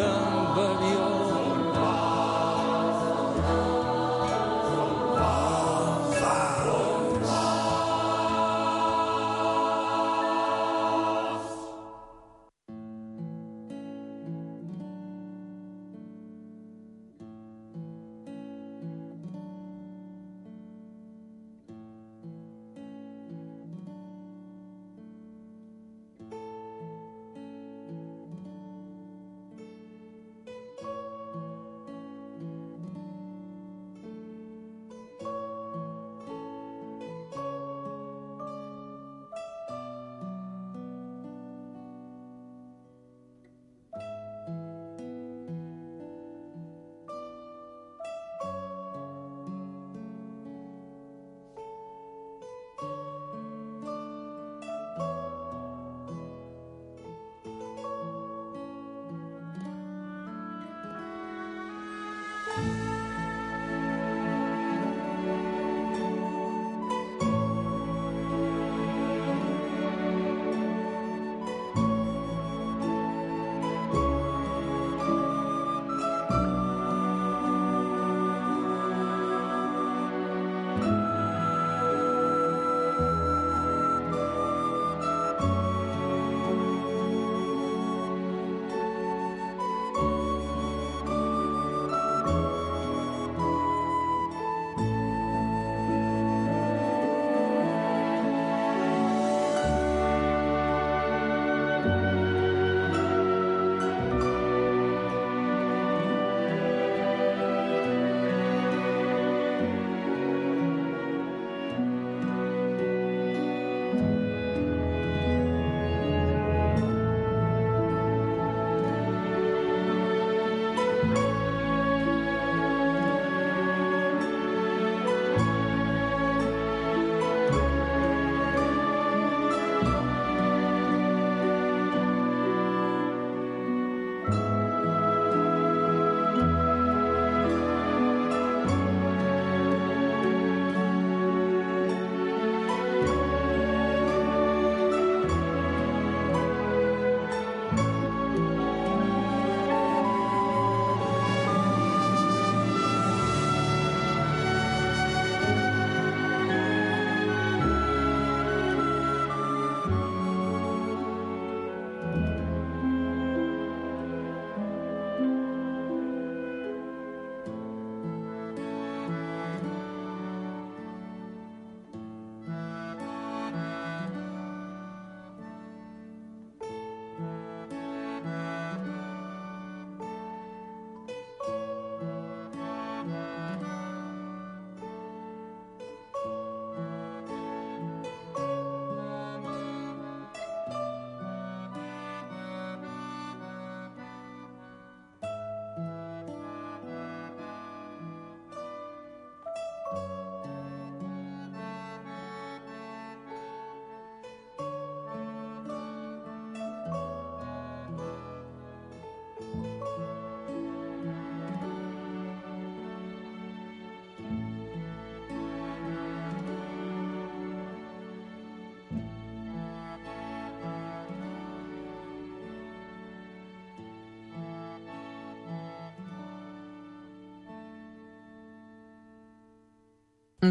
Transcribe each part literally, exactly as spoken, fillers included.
amb avió.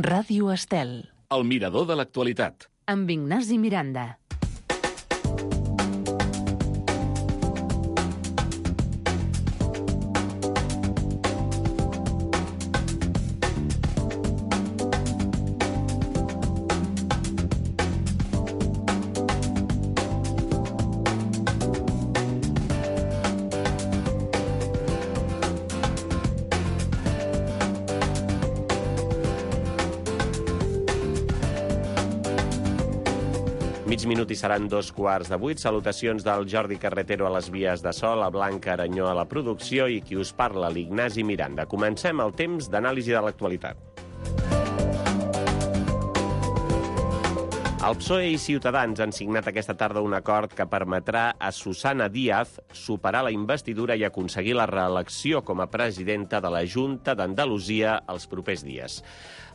Ràdio Estel. El mirador de l'actualitat. Amb Ignasi Miranda. Mig minut i seran dos quarts de vuit. Salutacions del Jordi Carretero a les vies de so, la Blanca Aranyó a la producció i qui us parla, l'Ignasi Miranda. Comencem el temps d'anàlisi de l'actualitat. El P S O E i Ciutadans han signat aquesta tarda un acord que permetrà a Susana Díaz superar la investidura i aconseguir la reelecció com a presidenta de la Junta d'Andalusia els propers dies.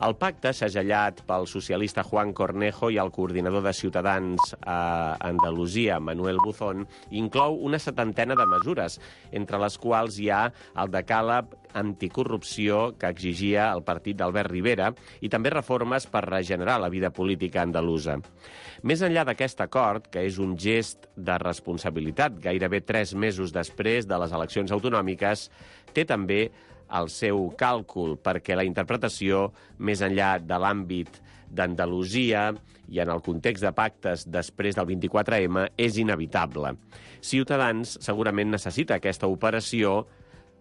El pacte, segellat pel socialista Juan Cornejo i el coordinador de Ciutadans a Andalusia, Manuel Buzón, inclou una setantena de mesures, entre les quals hi ha el decàleg anticorrupció que exigia el partit d'Albert Rivera i també reformes per regenerar la vida política andalusa. Més enllà d'aquest acord, que és un gest de responsabilitat gairebé tres mesos després de les eleccions autonòmiques, té també el seu càlcul, perquè la interpretació, més enllà de l'àmbit d'Andalusia i en el context de pactes després del vint-i-quatre eme, és inevitable. Ciutadans segurament necessita aquesta operació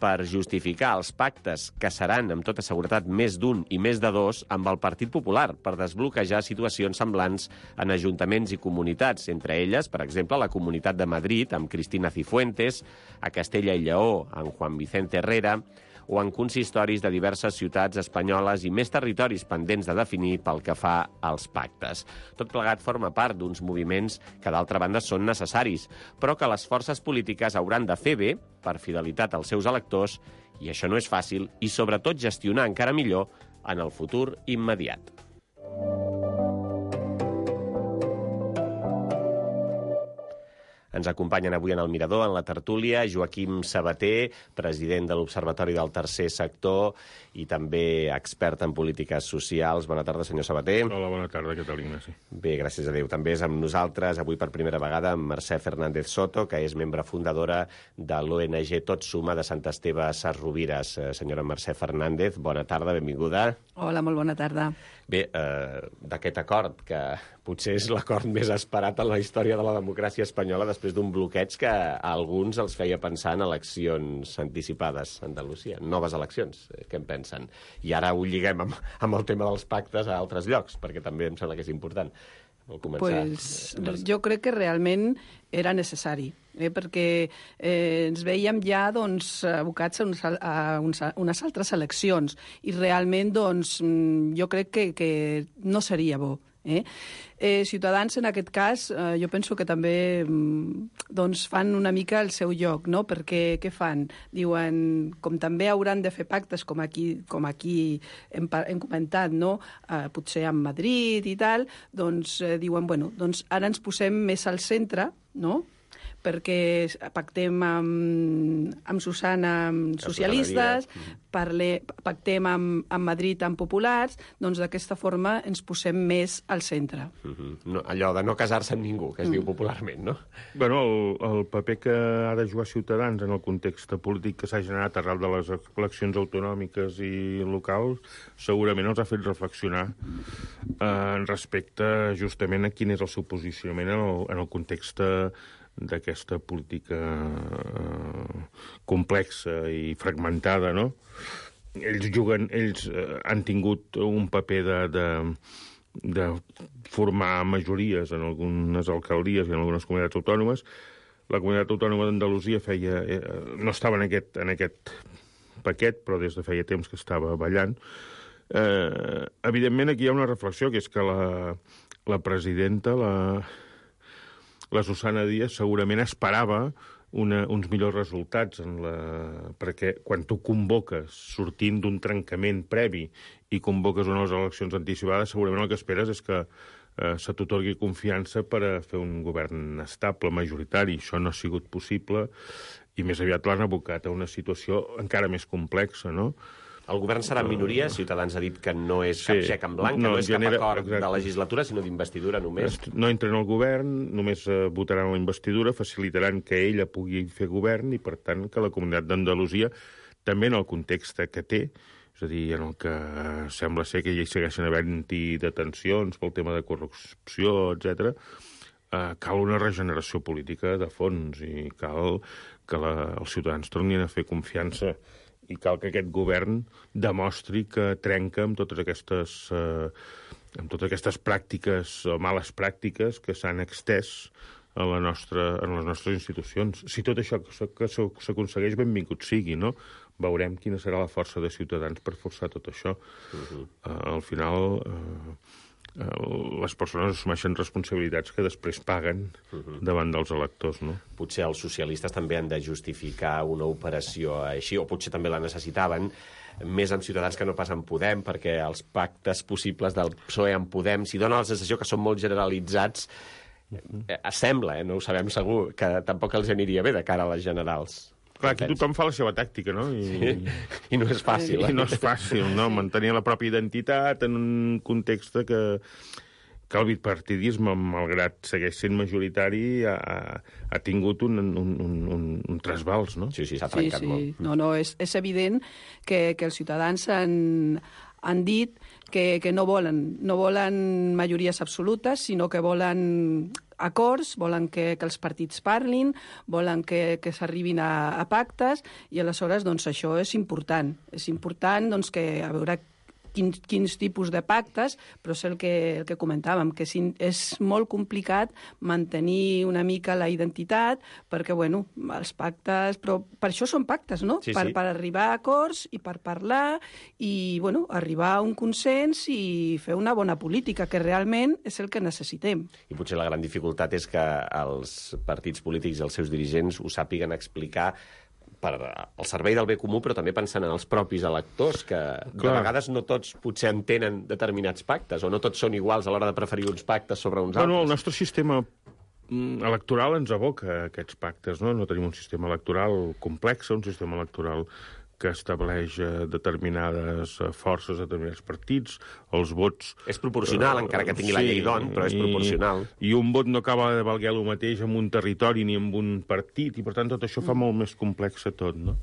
per justificar els pactes, que seran, amb tota seguretat, més d'un i més de dos, amb el Partit Popular, per desbloquejar situacions semblants en ajuntaments i comunitats, entre elles, per exemple, la Comunitat de Madrid, amb Cristina Cifuentes, a Castella i Lleó, amb Juan Vicente Herrera, o en consistoris de diverses ciutats espanyoles i més territoris pendents de definir pel que fa als pactes. Tot plegat forma part d'uns moviments que, d'altra banda, són necessaris, però que les forces polítiques hauran de fer bé per fidelitat als seus electors, i això no és fàcil, i sobretot gestionar encara millor en el futur immediat. Ens acompanyen avui en el Mirador, en la tertúlia, Joaquim Sabater, president de l'Observatori del Tercer Sector i també expert en polítiques socials. Bona tarda, senyor Sabater. Hola, bona tarda, què tal, Ignasi? Bé, gràcies a Déu. També és amb nosaltres, avui per primera vegada, amb Mercè Fernández Soto, que és membre fundadora de l'O N G Tot Suma de Sant Esteve Sesrovires. Senyora Mercè Fernández, bona tarda, benvinguda. Hola, molt bona tarda. Bé, eh, d'aquest acord, que potser és l'acord més esperat en la història de la democràcia espanyola després d'un bloqueig que a alguns els feia pensar en eleccions anticipades a Andalusia, noves eleccions, què en pensen? I ara ho lliguem amb, amb el tema dels pactes a altres llocs, perquè també em sembla que és important. Pues, jo crec que realment era necessari, eh, perquè eh, ens veiem ja doncs, abocats a, uns, a uns, unes altres eleccions i realment doncs, jo crec que, que no seria bo. Eh? Eh, Ciutadans, en aquest cas, eh, jo penso que també doncs, fan una mica el seu lloc, no? Perquè què fan? Diuen, com també hauran de fer pactes, com aquí, com aquí hem, hem comentat, no? Eh, potser amb Madrid i tal, doncs eh, diuen, bueno, doncs ara ens posem més al centre, no?, perquè pactem amb, amb Susana amb socialistes, parle, pactem amb, amb Madrid amb populars, doncs d'aquesta forma ens posem més al centre. Uh-huh. No, allò de no casar-se amb ningú, que es mm. diu popularment, no? Bueno, el, el paper que ha de jugar Ciutadans en el context polític que s'ha generat arrel de les eleccions autonòmiques i locals segurament els ha fet reflexionar eh, respecte justament a quin és el seu posicionament en el, en el context d'aquesta política eh, complexa i fragmentada, no? Ells juguen, ells eh, han tingut un paper de, de, de formar majories en algunes alcaldies i en algunes comunitats autònomes. La comunitat autònoma d'Andalusia feia, eh, no estava en aquest, en aquest paquet, però des de feia temps que estava ballant. Eh, evidentment, aquí hi ha una reflexió, que és que la, la presidenta, la... la Susana Díaz segurament esperava una, uns millors resultats, en la... perquè quan tu convoques sortint d'un trencament previ i convoques unes eleccions anticipades, segurament el que esperes és que eh, se t'atorgui confiança per a fer un govern estable, majoritari. Això no ha sigut possible i més aviat l'han abocat a una situació encara més complexa, no? El govern serà en minoria, Ciutadans ha dit que no és cap sí, xec en blanc, no, que no és genera, cap acord exacte. de legislatura, sinó d'investidura només. No entren al govern, només eh, votaran la investidura, facilitaran que ella pugui fer govern i, per tant, que la comunitat d'Andalusia, també en el context que té, és a dir, en el que sembla ser que hi segueixen havent-hi detencions pel tema de corrupció, etcètera, eh, cal una regeneració política de fons i cal que la, els ciutadans tornin a fer confiança i cal que aquest govern demostri que trenca amb totes aquestes, eh, amb totes aquestes pràctiques o males pràctiques que s'han extès a la nostra, en les nostres institucions. Si tot això que s'aconsegueix, benvingut sigui, no? Veurem quina serà la força de Ciutadans per forçar tot això. Uh-huh. Uh, al final, uh, les persones assumeixen responsabilitats que després paguen uh-huh. davant dels electors, no? Potser els socialistes també han de justificar una operació així, o potser també la necessitaven, més amb Ciutadans que no pas amb Podem, perquè els pactes possibles del P S O E amb Podem, si dona la sensació que són molt generalitzats, eh, sembla, eh, no ho sabem segur, que tampoc els aniria bé de cara a les generals. Clar, aquí tothom fa la seva tàctica, no? I, sí. I no és fàcil. I, eh? I no és fàcil, no? Mantenir la pròpia identitat en un context que, que el bipartidisme, malgrat segueix sent majoritari, ha, ha tingut un, un, un, un, un trasbals, no? Sí, sí, s'ha trencat sí, sí. molt. No, no, és, és evident que, que els ciutadans han, han dit que, que no volen, no volen majories absolutes, sinó que volen acords, volen que, que els partits parlin, volen que, que s'arribin a, a pactes, i aleshores doncs, això és important. És important doncs, que a veure quins, quins tipus de pactes, però és el que, el que comentàvem, que si, és molt complicat mantenir una mica la identitat, perquè, bueno, els pactes... Però per això són pactes, no? Sí, per, sí. per arribar a acords i per parlar i, bueno, arribar a un consens i fer una bona política, que realment és el que necessitem. I potser la gran dificultat és que els partits polítics i els seus dirigents ho sàpiguen explicar per al servei del bé comú, però també pensant en els propis electors, que de Clar. vegades no tots potser entenen determinats pactes, o no tots són iguals a l'hora de preferir uns pactes sobre uns Bueno, el altres. nostre sistema electoral ens aboca aquests pactes, no? No tenim un sistema electoral complex, un sistema electoral que estableix eh, determinades eh, forces, determinats partits, els vots... És proporcional, encara que tingui la llei d'on, però és i- proporcional. I un vot no acaba de valguer el mateix en un territori ni en un partit, i per tant tot això fa molt més complex a tot, no?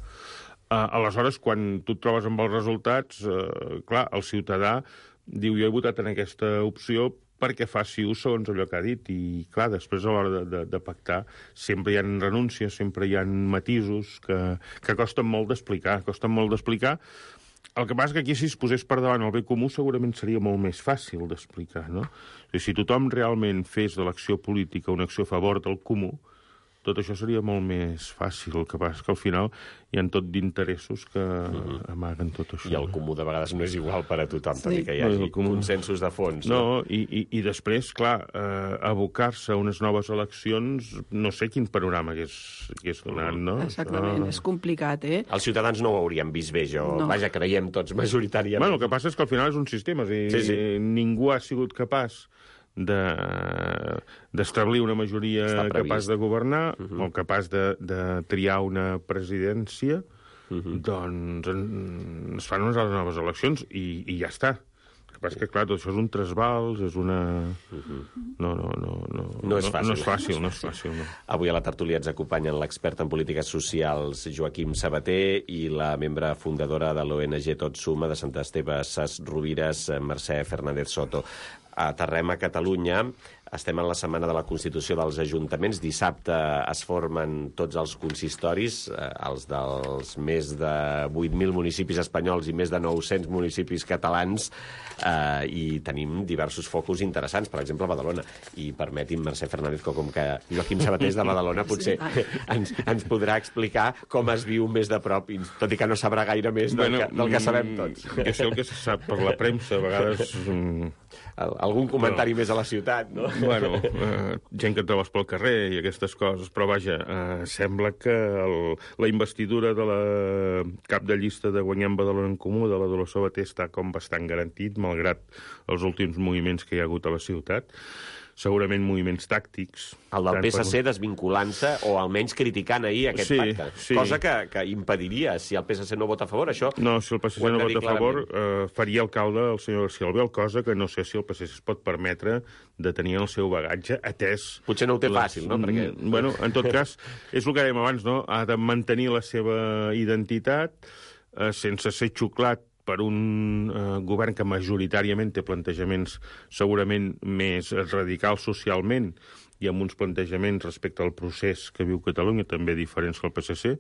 Uh, aleshores, quan tu et trobes amb els resultats, uh, clar, el ciutadà diu jo he votat en aquesta opció perquè faci ús segons allò que ha dit, i clar, després a l'hora de, de, de pactar sempre hi ha renúncies, sempre hi ha matisos que, que costen molt d'explicar, costen molt d'explicar. El que passa és que aquí si es posés per davant el bé comú segurament seria molt més fàcil d'explicar, no? O sigui, si tothom realment fes de l'acció política una acció a favor del comú, tot això seria molt més fàcil. El que passa és que al final hi ha tot d'interessos que mm-hmm. amaguen tot això. I el comú de vegades no és igual per a tothom, Sí. tot i que hi No, hagi el comú- consensos de fons. No, i, i, i després, clar, eh, abocar-se a unes noves eleccions, no sé quin panorama hagués, hagués donat, no? Exactament, és complicat, eh? Els ciutadans no ho haurien vist bé, jo. No. Vaja, creiem tots majoritàriament. Bueno, el que passa és que al final és un sistema, és a dir, Sí, sí. ningú ha sigut capaç de d'establir una majoria Està previst. capaç de governar uh-huh. o capaç de, de triar una presidència, uh-huh. doncs en, es fan unes noves eleccions i, i ja està. El que passa és que, clar, tot això és un trasbals, és una... Uh-huh. No, no, no, no, No és fàcil. No, no és fàcil, no és fàcil, no. Avui a la tertúlia ens acompanyen l'expert en polítiques socials Joaquim Sabater i la membre fundadora de l'O N G Tot Suma de Sant Esteve Ses Rovires, Mercè Fernández Soto. Aterrem a Catalunya. Estem en la setmana de la Constitució dels Ajuntaments. Dissabte es formen tots els consistoris, eh, els dels més de vuit mil municipis espanyols i més de nou-cents municipis catalans, eh, i tenim diversos focus interessants, per exemple, a Badalona. I permeti'm, Mercè Fernández, que com que Joaquim Sabater és de Badalona, potser ens, ens podrà explicar com es viu més de prop, i tot i que no sabrà gaire més del, Bueno, que, del que sabem tots. Jo sé el que se sap per la premsa, a vegades... mm, Al- Algun comentari més a la ciutat, no? Bueno, eh, gent que et trobes pel carrer i aquestes coses, però vaja, eh, sembla que el, la investidura de la cap de llista de Guanyem Badalona en Comú, de la Dolors Sabater, està com bastant garantit, malgrat els últims moviments que hi ha hagut a la ciutat. Segurament moviments tàctics. El del tant P S C per- desvinculant-se o almenys criticant ahir aquest Sí, pacte. sí. Cosa que, que impediria, si el P S C no vota a favor, això... No, si el P S C ho hem no de vota dir a favor, eh, faria alcalde el senyor García Albiol, cosa que no sé si el P S C es pot permetre de tenir el seu bagatge, atès... Potser no ho té fàcil, no? Perquè... Mm, Bueno, en tot cas, és el que dèiem abans, no? Ha de mantenir la seva identitat eh, sense ser xuclat per un eh, govern que majoritàriament té plantejaments segurament més radicals socialment i amb uns plantejaments respecte al procés que viu Catalunya, també diferents que el P S C.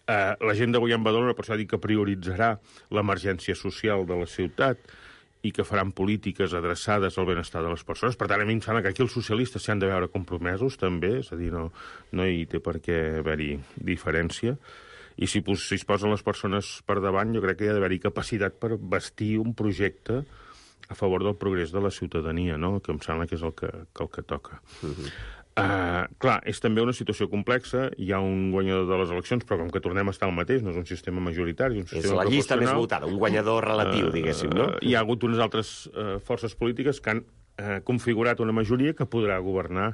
Eh, la gent de Guanyem Badalona, per això dic que prioritzarà l'emergència social de la ciutat i que faran polítiques adreçades al benestar de les persones. Per tant, a mi em sembla que aquí els socialistes s'hi han de veure compromesos, també, és a dir, no, no hi té per què haver-hi diferència. I si, si es posen les persones per davant, jo crec que hi ha d'haver-hi capacitat per bastir un projecte a favor del progrés de la ciutadania, no? Que em sembla que és el que, que, el que toca. Uh-huh. Uh, clar, és també una situació complexa, hi ha un guanyador de les eleccions, però com que tornem a estar al mateix, no és un sistema majoritari, és un sistema proporcional. És la llista més votada, un guanyador relatiu, uh, diguéssim, no? Uh, hi ha hagut unes altres uh, forces polítiques que han uh, configurat una majoria que podrà governar.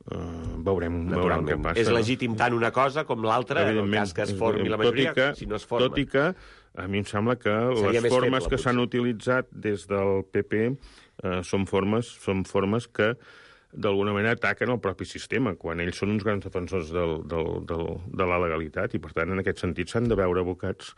Uh, veurem, veurem què passa. És legítim tant una cosa com l'altra, en el cas que es formi la majoria, que, si no es forma. Tot i que a mi em sembla que Seria les formes feble, que s'han utilitzat des del P P uh, són formes són formes que d'alguna manera ataquen el propi sistema, quan ells són uns grans defensors del, del, del, de la legalitat, i per tant en aquest sentit s'han de veure abocats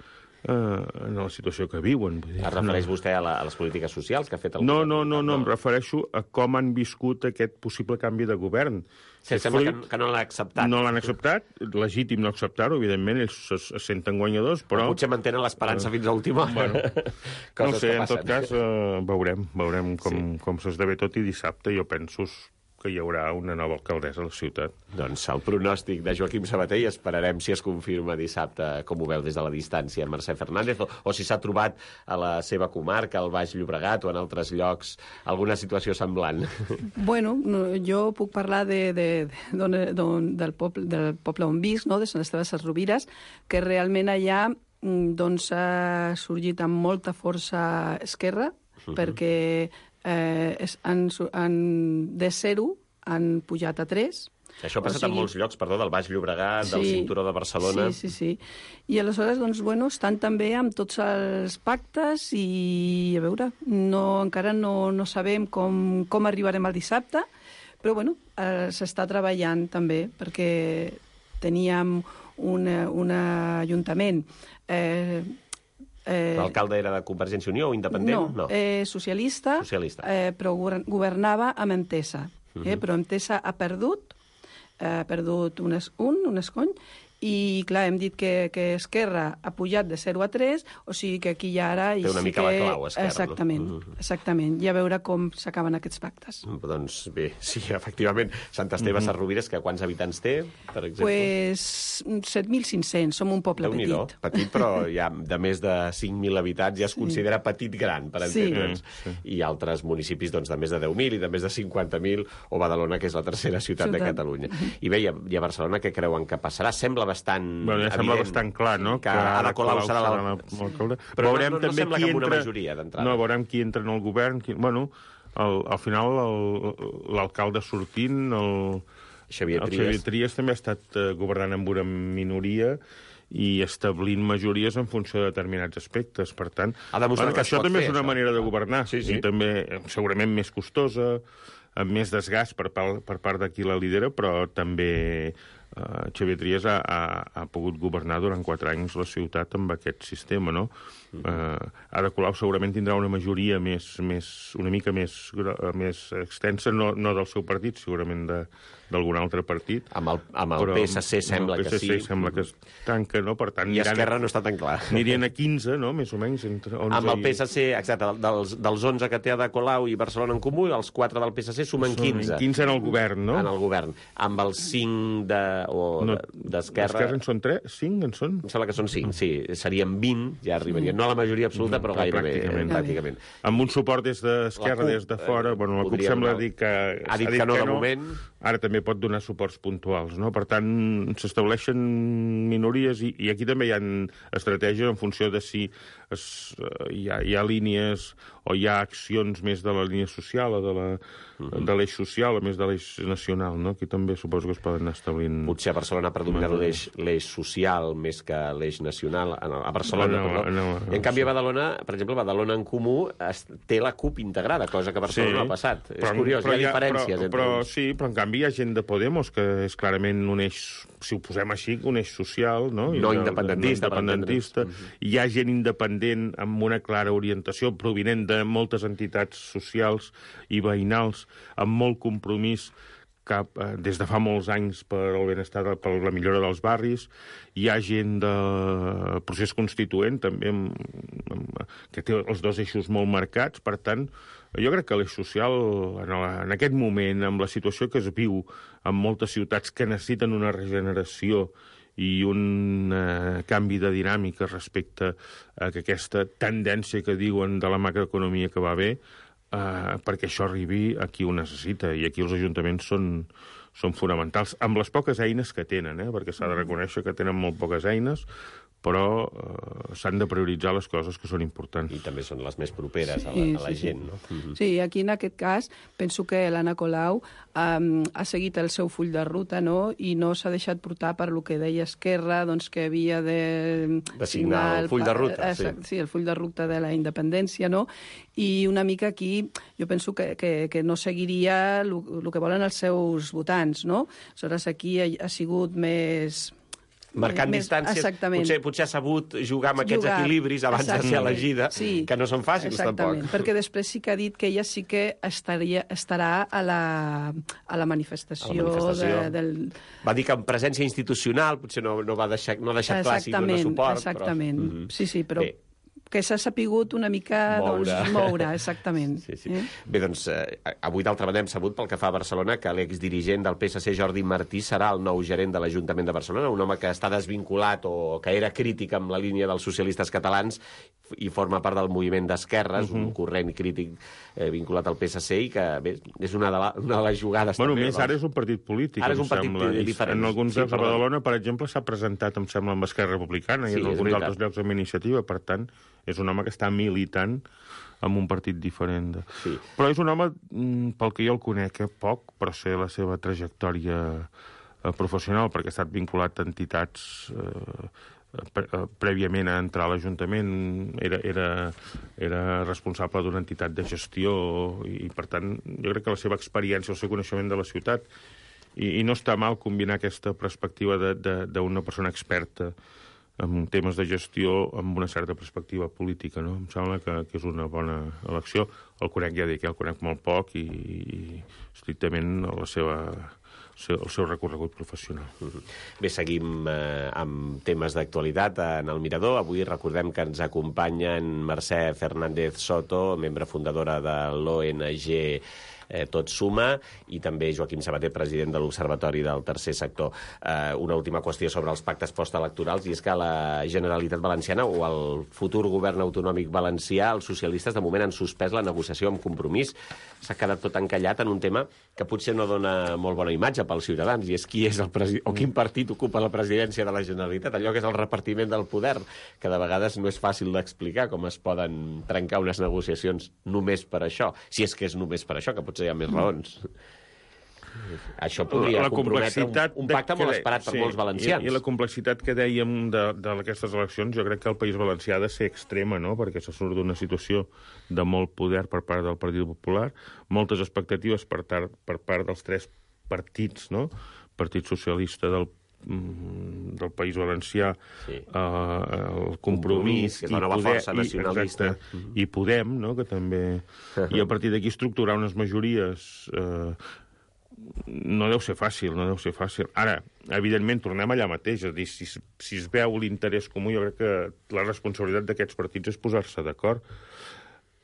eh, en la situació que viuen. Es refereix no. vostè a, la, a les polítiques socials que ha fet el no, govern? No, no, no, no, em refereixo a com han viscut aquest possible canvi de govern. Sí, sembla fruit, que, que no l'han acceptat. No l'han acceptat, legítim no acceptar-ho, evidentment, ells es, es senten guanyadors, però... O potser mantenen l'esperança uh, fins a l'última hora. Bueno, no sé, en tot cas, uh, veurem, veurem com, sí. com s'esdevé tot, i dissabte jo penso que hi haurà una nova alcaldessa a la ciutat. Doncs el pronòstic de Joaquim Sabater, i esperarem si es confirma dissabte, com ho veu des de la distància, Mercè Fernández, o, o si s'ha trobat a la seva comarca, al Baix Llobregat o en altres llocs, alguna situació semblant. Bueno, no, jo puc parlar de, de, de, don, del, poble, del poble on visc, no? De Sant Esteve de Sesrovires, que realment allà doncs, ha sorgit amb molta força esquerra, uh-huh. perquè Eh, és, han, han, de zero han pujat a tres. Això ha passat o sigui, en molts llocs, perdó, del Baix Llobregat, sí, del cinturó de Barcelona... Sí, sí, sí. I aleshores, doncs, bueno, estan també amb tots els pactes i, a veure, no, encara no, no sabem com, com arribarem al dissabte, però, bueno, eh, s'està treballant també, perquè teníem un, un ajuntament... Eh, Eh, L'alcalde era de Convergència i Unió o independent? No, no. Eh, socialista, socialista. Eh, però governava amb Entesa. Uh-huh. eh, però Entesa ha perdut, eh, ha perdut un, es, un, un escony, i, clar, hem dit que, que Esquerra ha pujat de zero a tres, o sigui que aquí ja ara... Té una sí mica que... la clau, Esquerra, exactament, no? Uh-huh. Exactament, i a veure com s'acaben aquests pactes. Doncs bé, sí, efectivament, Sant Esteve uh-huh. Sesrovires, que quants habitants té, per exemple? Pues set mil cinc-cents, som un poble Déu-n'hi-do, petit. Petit, però ja de més de cinc mil habitants ja es sí. considera petit-gran, per entendre'ns. Sí. Sí. I altres municipis doncs, de més de deu mil i de més de cinquanta mil, o Badalona, que és la tercera ciutat, ciutat. de Catalunya. Uh-huh. I bé, i a Barcelona què creuen que passarà? Sembla bastant... Bueno, ja sembla bastant clar, no? Que, que Ada Colau serà l'alcalde. Però veurem no, no, no també sembla qui que amb una entra... majoria d'entrada. No, veurem qui entra en el govern. Qui... Bueno, el, al final l'alcalde sortint, el Xavier Trias. el Xavier Trias també ha estat uh, governant amb una minoria i establint majories en funció de determinats aspectes. Per tant, bueno, que això també fer, és una això. manera de governar. Sí, sí. I també segurament més costosa, amb més desgast per, per part de qui la lidera, però també... Uh, Xavier Trias ha, ha, ha pogut governar durant quatre anys la ciutat amb aquest sistema, no? Uh, Ada Colau segurament tindrà una majoria més, més, una mica més, més extensa, no, no del seu partit, segurament d'algun altre partit. Amb el, amb el P S C sembla que sí. El P S C sembla que es tanca, no? Per tant, I Esquerra no està tan clar. Anirien a quinze, no? Més o menys. Entre onze amb el P S C, i... exacte, dels, dels onze que té Ada Colau i Barcelona en Comú, els quatre del P S C sumen quinze. quinze en el govern, no? En el govern. Amb els cinc de... o no, d'Esquerra... D'Esquerra en són tres? cinc en són? Em sembla que són cinc, sí. Serien vint, ja arribarien. No a la majoria absoluta, però gairebé. Pràcticament. pràcticament. Amb un suport des d'Esquerra, des de fora... Bueno, la CUP sembla dir que... Ha dit que no, de moment. Ara també pot donar suports puntuals, no? Per tant, s'estableixen minories i, i aquí també hi ha estratègies en funció de si es, hi, ha, hi ha línies o hi ha accions més de la línia social o de la uh-huh. de l'eix social o més de l'eix nacional, no? Aquí també suposo que es poden anar establint... Potser a Barcelona ha predominat l'eix social més que l'eix nacional. A Barcelona, no, perdó. No, no, I en canvi a Badalona, per exemple, Badalona en Comú es, té la CUP integrada, cosa que a Barcelona sí, no ha passat. Però, és curiós, hi ha diferències. Però, entre però uns. sí, però en canvi hi ha gent de Podemos que és clarament un eix, si ho posem així, un eix social, no? No independentista. No independentista. Hi ha gent independent amb una clara orientació provinent de moltes entitats socials i veïnals amb molt compromís cap, eh, des de fa molts anys per el benestar, per la millora dels barris. Hi ha gent del procés constituent també amb, amb, que té els dos eixos molt marcats. Per tant, jo crec que l'eix social, en, la, en aquest moment, amb la situació que es viu en moltes ciutats que necessiten una regeneració i un eh, canvi de dinàmica respecte a que aquesta tendència que diuen de la macroeconomia que va bé, eh, perquè això arribi a qui ho necessita, i aquí els ajuntaments són, són fonamentals, amb les poques eines que tenen, eh, perquè s'ha de reconèixer que tenen molt poques eines, però eh, s'han de prioritzar les coses que són importants. I també són les més properes sí, a la, a la sí, gent, sí. no? Mm-hmm. Sí, aquí en aquest cas penso que l'Anna Colau um, ha seguit el seu full de ruta, no?, i no s'ha deixat portar per lo que deia Esquerra, doncs que havia de, de signar el full de ruta. Sí. sí, el full de ruta de la independència, no? I una mica aquí jo penso que, que, que no seguiria el que volen els seus votants, no? Aleshores, aquí ha, ha sigut més... Marcant més, distàncies, exactament. potser, potser ha sabut jugar amb aquests Jugar, equilibris abans exactament. de ser elegida, sí, que no són fàcils exactament, tampoc. Perquè després sí que ha dit que ella sí que estaria, estarà a la, a la manifestació. A la manifestació. De, del... Va dir que en presència institucional potser no, no, va deixar, no ha deixat clar si dona suport. Exactament, però... sí, sí, però... Bé. Que s'ha sapigut una mica moure, doncs, moure exactament. Sí, sí. Eh? Bé, doncs, eh, avui d'altra banda hem sabut, pel que fa a Barcelona, que l'exdirigent del P S C, Jordi Martí, serà el nou gerent de l'Ajuntament de Barcelona, un home que està desvinculat o que era crític amb la línia dels socialistes catalans i forma part del moviment d'esquerres, uh -huh. un corrent crític eh, vinculat al P S C, i que, bé, és una de, la, una de les jugades... Bueno, també, més doncs. Ara és un partit polític, ara és un partit sembla. diferent. En alguns sí, llocs a Badalona, per exemple, s'ha presentat, em sembla, amb Esquerra Republicana, sí, i en alguns altres llocs amb Iniciativa, per tant, és un home que està militant amb un partit diferent. De... Sí. Però és un home, pel que jo el conec, eh, poc, però sé la seva trajectòria eh, professional, perquè ha estat vinculat a entitats eh, pre prèviament a entrar a l'Ajuntament, era, era, era responsable d'una entitat de gestió, i, per tant, jo crec que la seva experiència, el seu coneixement de la ciutat, i, i no està mal combinar aquesta perspectiva d'una persona experta en temes de gestió amb una certa perspectiva política, no? Em sembla que, que és una bona elecció. El conec, ja dic, el conec molt poc i, i estrictament la seva, el seu recorregut professional. Bé, seguim eh, amb temes d'actualitat en el Mirador. Avui recordem que ens acompanya en Mercè Fernández Soto, membre fundadora de l'O N G Eh, Tot Suma, i també Joaquim Sabater, president de l'Observatori del Tercer Sector. Eh, una última qüestió sobre els pactes postelectorals, i és que la Generalitat Valenciana o el futur govern autonòmic valencià, els socialistes de moment han suspès la negociació amb Compromís. S'ha quedat tot encallat en un tema que potser no dona molt bona imatge pels ciutadans, i és qui és el president o quin partit ocupa la presidència de la Generalitat, allò que és el repartiment del poder, que de vegades no és fàcil d'explicar com es poden trencar unes negociacions només per això, si és que és només per això, que potser hi ha més raons. Això podria la, la comprometre un, un pacte molt esperat per sí, molts valencians. I, I la complexitat que dèiem d'aquestes eleccions, jo crec que el País Valencià ha de ser extrema, no?, perquè se surt d'una situació de molt poder per part del Partit Popular, moltes expectatives per, tar, per part dels tres partits, no?, Partit Socialista del del País Valencià, sí. eh, el Compromís, que és la nova poder, força nacionalista, i, exacte, i Podem, no?, que també... I a partir d'aquí estructurar unes majories eh, no deu ser fàcil, no deu ser fàcil. Ara, evidentment, tornem allà mateix, és a dir, si, si es veu l'interès comú, jo crec que la responsabilitat d'aquests partits és posar-se d'acord.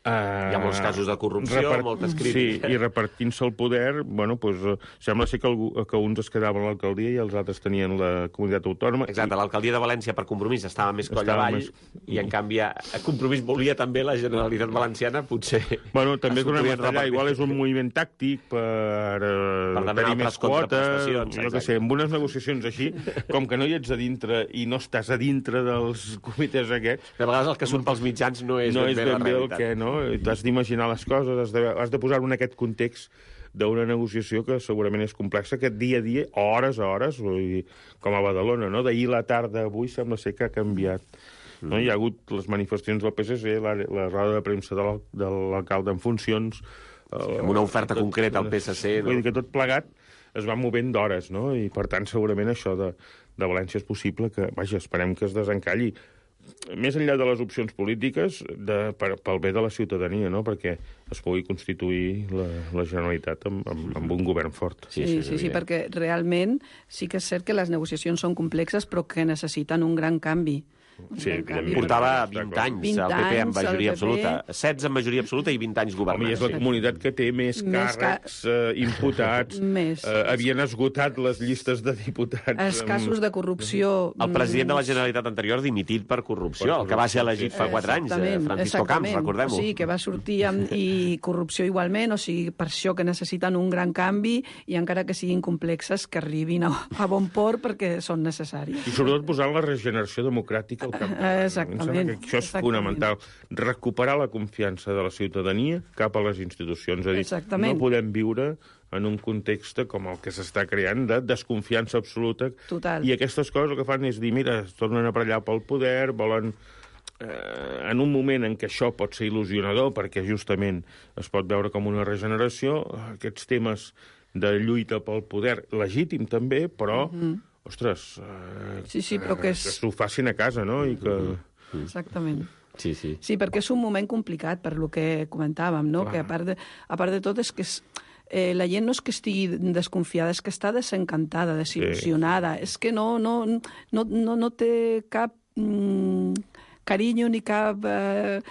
Uh, Hi ha molts casos de corrupció, repart... moltes crítiques. Sí, i repartint-se el poder, bueno, pues, uh, sembla ser que, algú, que uns es quedaven a l'alcaldia i els altres tenien la comunitat autònoma. Exacte, i... l'alcaldia de València per Compromís estava més coll avall, més... i en canvi a Compromís volia també la Generalitat Valenciana, potser... Bueno, també és una allà, igual és un moviment tàctic per, uh, per tenir més quotes, jo què sé, amb unes negociacions així, com que no hi ets a dintre i no estàs a dintre dels comitès aquests... De vegades el que surt pels mitjans no és no ben és bé la ben bé realitat. El que, no? T'has d'imaginar les coses, has de, has de posar-ho en aquest context d'una negociació que segurament és complexa, que dia a dia, hores a hores, com a Badalona, no? D'ahir la tarda a avui sembla ser que ha canviat. No? Hi ha hagut les manifestacions del P S C, la, la roda de premsa de l'alcalde en funcions... Sí, amb una oferta tot, concreta al P S C. No? Vull dir que tot plegat es va movent d'hores, no? I per tant segurament això de, de València és possible que, vaja, esperem que es desencalli. Més enllà de les opcions polítiques, de, per, pel bé de la ciutadania, no?, perquè es pugui constituir la, la Generalitat amb, amb, amb un govern fort. Sí, sí, sí, sí, perquè realment sí que és cert que les negociacions són complexes, però que necessiten un gran canvi. Sí, evidentment. Portava Està vint clar. anys vint el P P en anys, majoria el P P. absoluta. setze en majoria absoluta i vint anys Home, i governant. és la comunitat que té més Més càrrecs eh, imputats. Més. Eh, havien esgotat les llistes de diputats. Els amb- casos de corrupció... El president de la mm, Generalitat anterior dimitit per corrupció, el que va ser elegit fa quatre anys, eh, Exactament, Francisco Camps, exactament. recordem-ho. O sigui, que va sortir amb, i corrupció igualment, o sigui, per això que necessiten un gran canvi i encara que siguin complexes, que arribin a, a bon port perquè són necessaris. I sobretot posant la regeneració democràtica al capdavant. Exactament, Em sembla que això és exactament. fonamental. Recuperar la confiança de la ciutadania cap a les institucions. És a dir, Exactament. no podem viure en un context com el que s'està creant de desconfiança absoluta. Total. I aquestes coses el que fan és dir, mira, es tornen a allà pel poder, volen... Eh, en un moment en què això pot ser il·lusionador, perquè justament es pot veure com una regeneració, aquests temes de lluita pel poder, legítim també, però, mm -hmm. ostres, eh, Sí, sí, però que és... que s'ho facin a casa, no? I que... Exactament. Sí, sí. Sí, perquè és un moment complicat, per lo que comentàvem, no? Clar. Que a part, de, a part de tot és que és, eh, la gent no és que estigui desconfiada, és que està desencantada, desil·lusionada. Sí. És que no, no, no, no, no té cap mm, carinyo ni cap... Eh,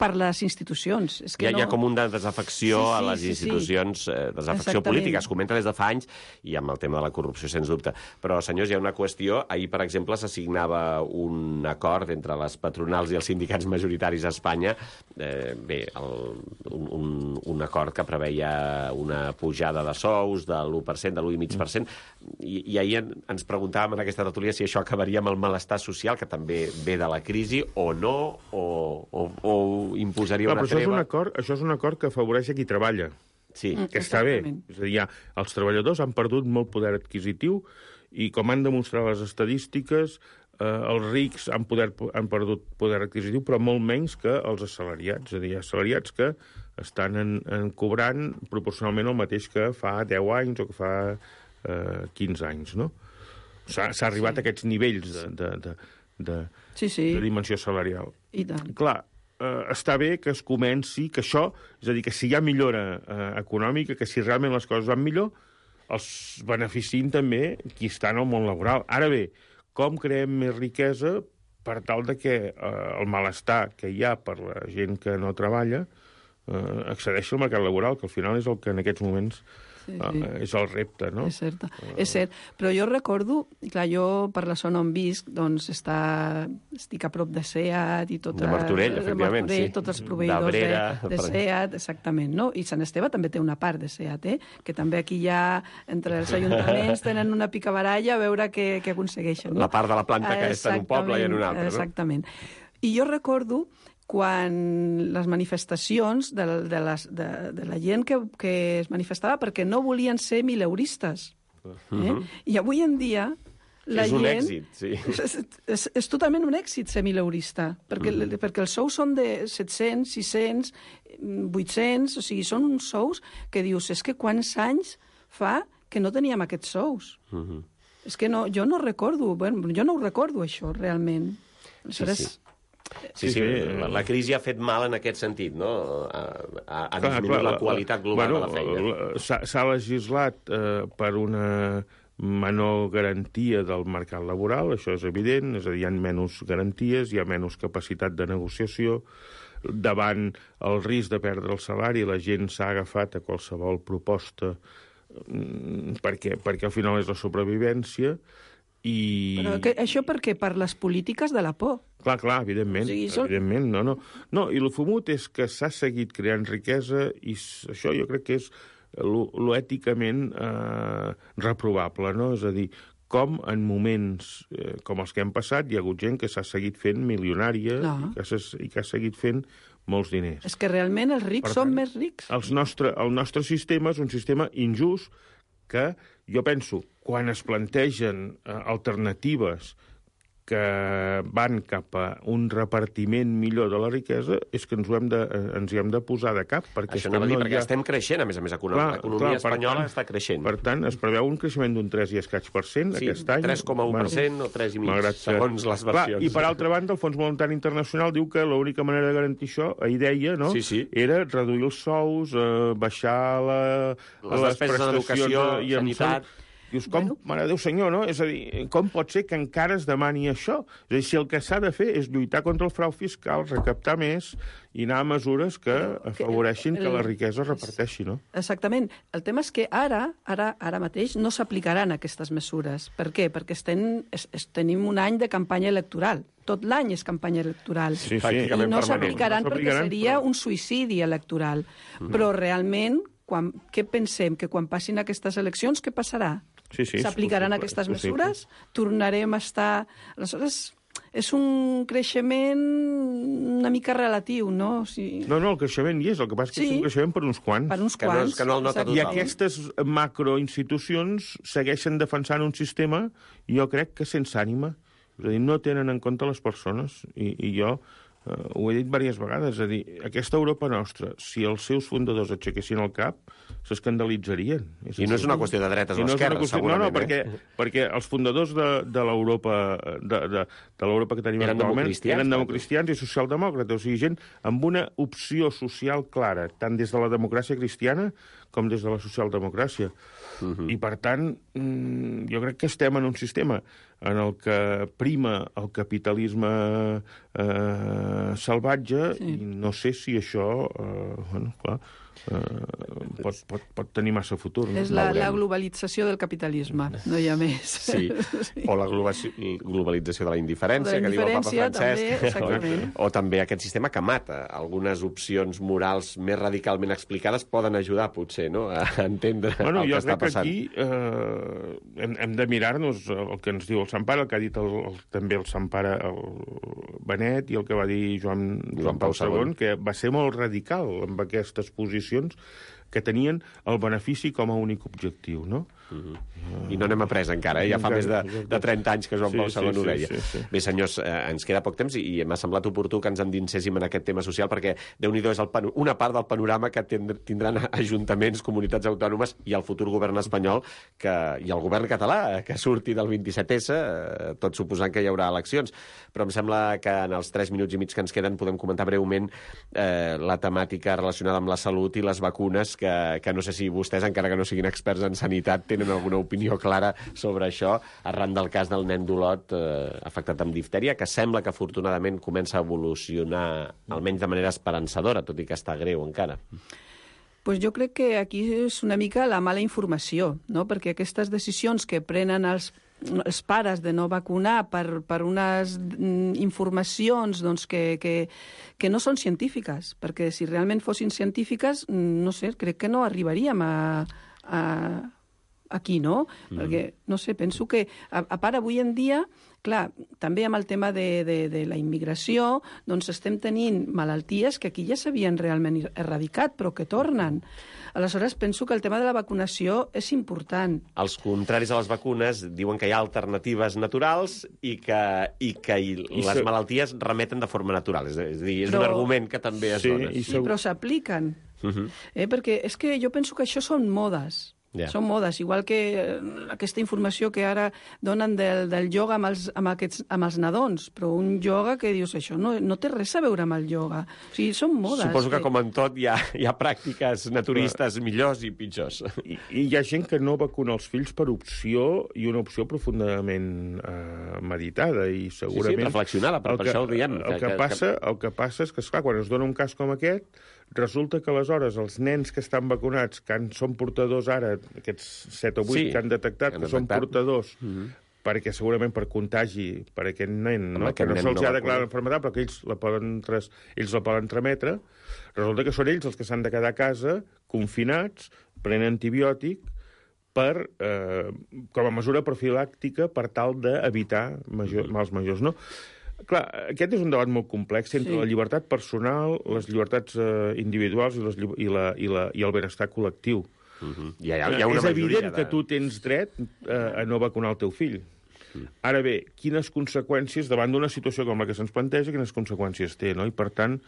per les institucions. És que Hi ha, no... hi ha com una desafecció Sí, sí, a les sí, sí. institucions, eh, desafecció Exactament. política, es comenta des de fa anys, i amb el tema de la corrupció, sens dubte. Però, senyors, hi ha una qüestió. Ahir, per exemple, s'assignava un acord entre les patronals i els sindicats majoritaris a Espanya. Eh, bé, el, un, un, un acord que preveia una pujada de sous de l'u per cent, de l'u coma cinc per cent, i, i ahir en, ens preguntàvem en aquesta tertúlia si això acabaria amb el malestar social, que també ve de la crisi, o no, o, o, o imposaria Clar, una però això és, un treva. acord, això és un acord que afavoreix a qui treballa, Sí. Mm. que està bé. Exactament. És a dir, ja, els treballadors han perdut molt poder adquisitiu i, com han demostrat les estadístiques, eh, els rics han, poder, han perdut poder adquisitiu, però molt menys que els assalariats. És a dir, assalariats que estan en, en cobrant proporcionalment el mateix que fa deu anys o que fa eh, quinze anys, no? S'ha arribat sí. a aquests nivells de, de, de, de, Sí, sí, de dimensió salarial. i tant. Clar, eh, està bé que es comenci, que això, és a dir, que si hi ha millora eh, econòmica, que si realment les coses van millor, els beneficien també qui està en el món laboral. Ara bé, com creem més riquesa per tal de que eh, el malestar que hi ha per la gent que no treballa eh, accedeixi al mercat laboral, que al final és el que en aquests moments Sí, eh, sí. és el repte, no? És cert, és cert. Però jo recordo, clar, jo per la zona on visc, doncs està, estic a prop de SEAT i tot... De Martorell, efectivament, sí. Tots els proveïdors d'Abrera, de, de SEAT, exactament, no? I Sant Esteve també té una part de SEAT, eh? Que també aquí ja, entre els ajuntaments, tenen una picabaralla a veure què, què aconsegueixen. No? La part de la planta que està en un poble i en un altre, no? Exactament. I jo recordo quan les manifestacions de, de, les, de, de la gent que, que es manifestava perquè no volien ser mileuristes. Eh? I avui en dia la és un gent... èxit, sí. És, és, és totalment un èxit ser mileurista, perquè, mm. perquè els sous són de set-cents, sis-cents, vuit-cents, o sigui, són uns sous que dius, és que quants anys fa que no teníem aquests sous? Mm -hmm. És que no, jo no recordo, bueno, jo no ho recordo, això, realment. Aleshores, sí. Sí, sí, la, la crisi ha fet mal en aquest sentit, no? Ha, ha, ha disminuït la qualitat global bueno, de la feina. S'ha legislat eh, per una menor garantia del mercat laboral, això és evident, és a dir, hi ha menys garanties, hi ha menys capacitat de negociació, davant el risc de perdre el salari, la gent s'ha agafat a qualsevol proposta perquè, perquè al final és la sobrevivència, i... Però que, això per què? Per les polítiques de la por. Clar, clar, evidentment, O sigui, són- evidentment, no, no. No, i el fumut és que s'ha seguit creant riquesa i s- això jo crec que és lo, lo èticament eh, reprovable, no? És a dir, com en moments eh, com els que hem passat hi ha hagut gent que s'ha seguit fent milionària Clar. i que, s'ha- i que ha seguit fent molts diners. És que realment els rics Per són tant, més rics. Els nostre, el nostre sistema és un sistema injust que jo penso, quan es plantegen eh, alternatives que van cap a un repartiment millor de la riquesa, és que ens, ho hem de, eh, ens hi hem de posar de cap. Perquè Això és que anava a dir, no perquè hi ha... estem creixent, a més a més, econòmica. L'economia espanyola està creixent. Per tant, es preveu un creixement d'un tres i escaig per cent Sí, aquest any. tres coma u per cent o tres i mig, malgrat que- segons les Clar, versions. I per altra banda, el Fons Monetari Internacional diu que l'única manera de garantir això, ahir deia, no? Sí, sí. Era reduir els sous, eh, baixar la, Les despeses en educació, i en sanitat... salut. Dius, com, bueno. Mare de Déu senyor, no? És a dir, com pot ser que encara es demani això? És a dir, si el que s'ha de fer és lluitar contra el frau fiscal, recaptar més i anar a mesures que afavoreixin que la riquesa es reparteixi, no? Exactament. El tema és que ara, ara, ara mateix, no s'aplicaran aquestes mesures. Per què? Perquè estem, es, es, tenim un any de campanya electoral. Tot l'any és campanya electoral. Sí, sí. I no s'aplicaran no perquè seria però... un suïcidi electoral. Mm. Però realment, quan, què pensem? Que quan passin aquestes eleccions, què passarà? Sí, sí, s'aplicaran aquestes mesures? Tornarem a estar... Aleshores, és un creixement una mica relatiu, no? O sigui... No, no, el creixement hi és, el que passa és que sí, és un creixement per uns quants. Per uns que quants. No, que no el nota I aquestes macroinstitucions segueixen defensant un sistema, jo crec que sense ànima. És a dir, no tenen en compte les persones. I, i jo eh, ho he dit diverses vegades. És a dir, aquesta Europa nostra, si els seus fundadors aixequessin el cap, s'escandalitzarien. I no és una qüestió de dretes o no esquerres, qüestió... segurament. No, no, perquè, eh? perquè els fundadors de, de l'Europa de, de, de l'Europa que tenim eren actualment eren democristians i socialdemòcrates, o sigui, gent amb una opció social clara, tant des de la democràcia cristiana com des de la socialdemocràcia. Uh -huh. I, per tant, jo crec que estem en un sistema en el que prima el capitalisme eh, salvatge, sí. I no sé si això, eh, bueno, clar, eh, pot, pot, pot tenir massa futur. No? És la, la globalització del capitalisme, no hi ha més. Sí, sí. O la globalització de la indiferència, de la que diu el papa Francesc. També, o, o també aquest sistema que mata. Algunes opcions morals més radicalment explicades poden ajudar, potser, no?, a entendre bueno, el que està passant. Bueno, jo crec que aquí eh, hem, hem de mirar-nos el que ens diu el Sant Pare, el que ha dit el, el, també el Sant Pare, el Benet, i el que va dir Joan, Joan Pau segon, que va ser molt radical amb aquestes posicions que tenien el benefici com a únic objectiu, no? Uh-huh. I no n'hem après encara, eh? Ja fa més de, de trenta anys que Joan Pau segon ho deia. Sí, sí, sí. Bé, senyors, eh, ens queda poc temps i, i m'ha semblat oportú que ens endinséssim en aquest tema social perquè, Déu-n'hi-do, és el pano- una part del panorama que tindran ajuntaments, comunitats autònomes i el futur govern espanyol que, i el govern català que surti del vint-i-set esse, eh, tot suposant que hi haurà eleccions. Però em sembla que en els tres minuts i mig que ens queden podem comentar breument eh, la temàtica relacionada amb la salut i les vacunes que, que no sé si vostès, encara que no siguin experts en sanitat, tenen alguna opinió clara sobre això, arran del cas del nen d'Olot eh, afectat amb diftèria, que sembla que afortunadament comença a evolucionar almenys de manera esperançadora, tot i que està greu encara. Pues jo crec que aquí és una mica la mala informació, no? Perquè aquestes decisions que prenen els, els pares de no vacunar per, per unes informacions doncs, que, que, que no són científiques, perquè si realment fossin científiques, no sé, crec que no arribaríem a... a aquí, no? Mm. Perquè, no sé, penso que, a, a part, avui en dia, clar, també amb el tema de, de, de la immigració, doncs estem tenint malalties que aquí ja s'havien realment erradicat, però que tornen. Aleshores, penso que el tema de la vacunació és important. Els contraris a les vacunes diuen que hi ha alternatives naturals i que, i que i les so... malalties remeten de forma natural. És, és a dir, és però... un argument que també es sí, dona. Sí, so... però s'apliquen. Uh-huh. eh, perquè és que jo penso que això són modes. Yeah. Són modes, igual que aquesta informació que ara donen del, del ioga amb els, amb, aquests, amb els nadons, però un ioga que dius, això no, no té res a veure amb el ioga. O sigui, són modes. Suposo que, que... com en tot, hi ha, hi ha pràctiques naturistes Però... millors i pitjors. I, I hi ha gent que no vacuna els fills per opció, i una opció profundament eh, meditada, i segurament... Sí, sí, reflexionada, per, per que, això ho diem. El que, que, passa, que... el que passa és que, esclar, quan es dona un cas com aquest, resulta que aleshores els nens que estan vacunats, que en són portadors ara, aquests set o vuit sí, que han detectat que, que són portadors, mm-hmm. perquè segurament per contagi per aquest nen, no? que no se'ls no ha declarat l'enfermedad, però que ells la poden, tres, ells la poden trametre, resulta que són ells els que s'han de quedar a casa, confinats, prenent antibiòtic, per, eh, com a mesura profilàctica per tal d'evitar major, mm-hmm. mals majors, no? Clar, aquest és un debat molt complex entre sí. la llibertat personal, les llibertats eh, individuals i, les, i, la, i, la, i el benestar col·lectiu. Uh-huh. Hi ha, hi ha una és evident de... que tu tens dret eh, a no vacunar el teu fill. Uh-huh. Ara bé, quines conseqüències, davant d'una situació com la que se'ns planteja, quines conseqüències té, no? I per tant,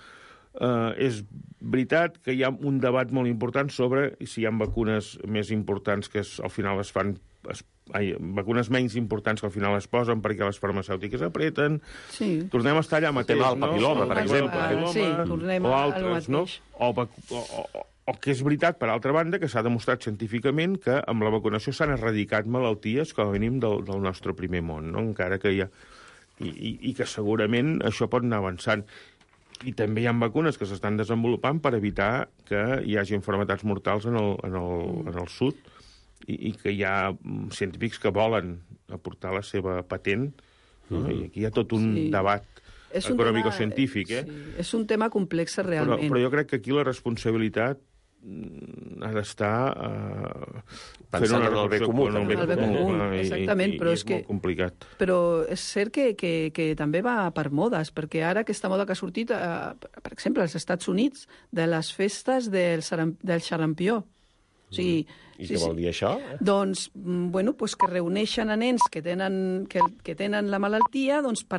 eh, és veritat que hi ha un debat molt important sobre si hi ha vacunes més importants que es, al final es fan... Es, ai, vacunes menys importants que al final es posen perquè les farmacèutiques apreten. Sí. Tornem a estar allà mateix, no? El papiloma, no? per exemple. Uh, sí, tornem o altres, no? O, o, o, O que és veritat, per altra banda, que s'ha demostrat científicament que amb la vacunació s'han erradicat malalties com a mínim del, del nostre primer món, no? Encara que hi ha... I, i, i que segurament això pot anar avançant. I també hi ha vacunes que s'estan desenvolupant per evitar que hi hagi malalties mortals en el, en el, en el sud i, i que hi ha científics que volen aportar la seva patent, no? I aquí hi ha tot un sí. debat econòmico-científic, eh? Sí. És un tema complex, realment. Però, però jo crec que aquí la responsabilitat ha d'estar uh, pensant en el bé comú. En el bé comú, exactament, però és, és molt complicat. Però és cert que, que, que també va per modes, perquè ara aquesta moda que ha sortit, uh, per exemple, als Estats Units, de les festes del, del xarampió. O sigui, I sí, què vol dir això? Doncs, bueno, pues que reuneixen a nens que tenen, que, que tenen la malaltia doncs, per